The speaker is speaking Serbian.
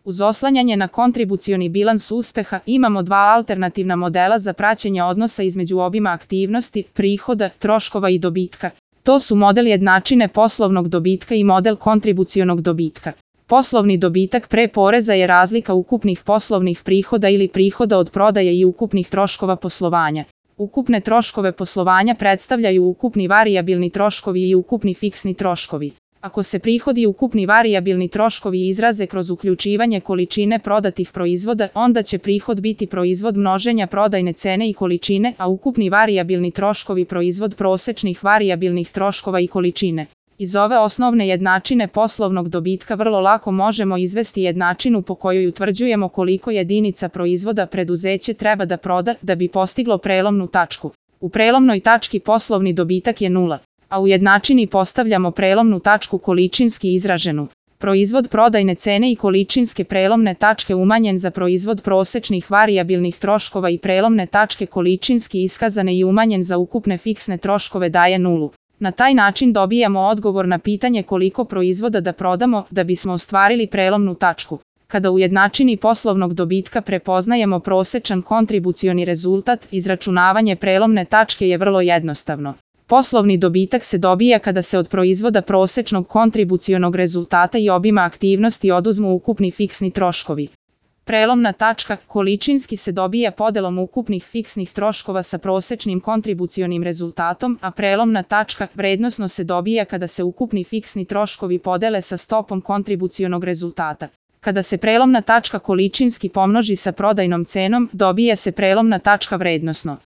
Uz oslanjanje na kontribucioni bilans uspeha imamo dva alternativna modela za praćenje odnosa između obima aktivnosti, prihoda, troškova i dobitka. To su model jednačine poslovnog dobitka i model kontribucionog dobitka. Poslovni dobitak pre poreza je razlika ukupnih poslovnih prihoda ili prihoda od prodaje i ukupnih troškova poslovanja. Ukupne troškove poslovanja predstavljaju ukupni varijabilni troškovi i ukupni fiksni troškovi. Ako se prihodi i ukupni varijabilni troškovi izraze kroz uključivanje količine prodatih proizvoda, onda će prihod biti proizvod množenja prodajne cene i količine, a ukupni varijabilni troškovi proizvod prosečnih varijabilnih troškova i količine. Iz ove osnovne jednačine poslovnog dobitka vrlo lako možemo izvesti jednačinu po kojoj utvrđujemo koliko jedinica proizvoda preduzeće treba da proda da bi postiglo prelomnu tačku. U prelomnoj tački poslovni dobitak je 0. A u jednačini postavljamo prelomnu tačku količinski izraženu. Proizvod prodajne cene i količinske prelomne tačke umanjen za proizvod prosečnih varijabilnih troškova i prelomne tačke količinski iskazane i umanjen za ukupne fiksne troškove daje 0. Na taj način dobijamo odgovor na pitanje koliko proizvoda da prodamo da bismo ostvarili prelomnu tačku. Kada u jednačini poslovnog dobitka prepoznajemo prosečan kontribucioni rezultat, izračunavanje prelomne tačke je vrlo jednostavno. Poslovni dobitak se dobija kada se od proizvoda prosečnog kontribucionog rezultata i obima aktivnosti oduzmu ukupni fiksni troškovi. Prelomna tačka količinski se dobija podelom ukupnih fiksnih troškova sa prosečnim kontribucionim rezultatom, a prelomna tačka vrednosno se dobija kada se ukupni fiksni troškovi podele sa stopom kontribucionog rezultata. Kada se prelomna tačka količinski pomnoži sa prodajnom cenom, dobija se prelomna tačka vrednosno.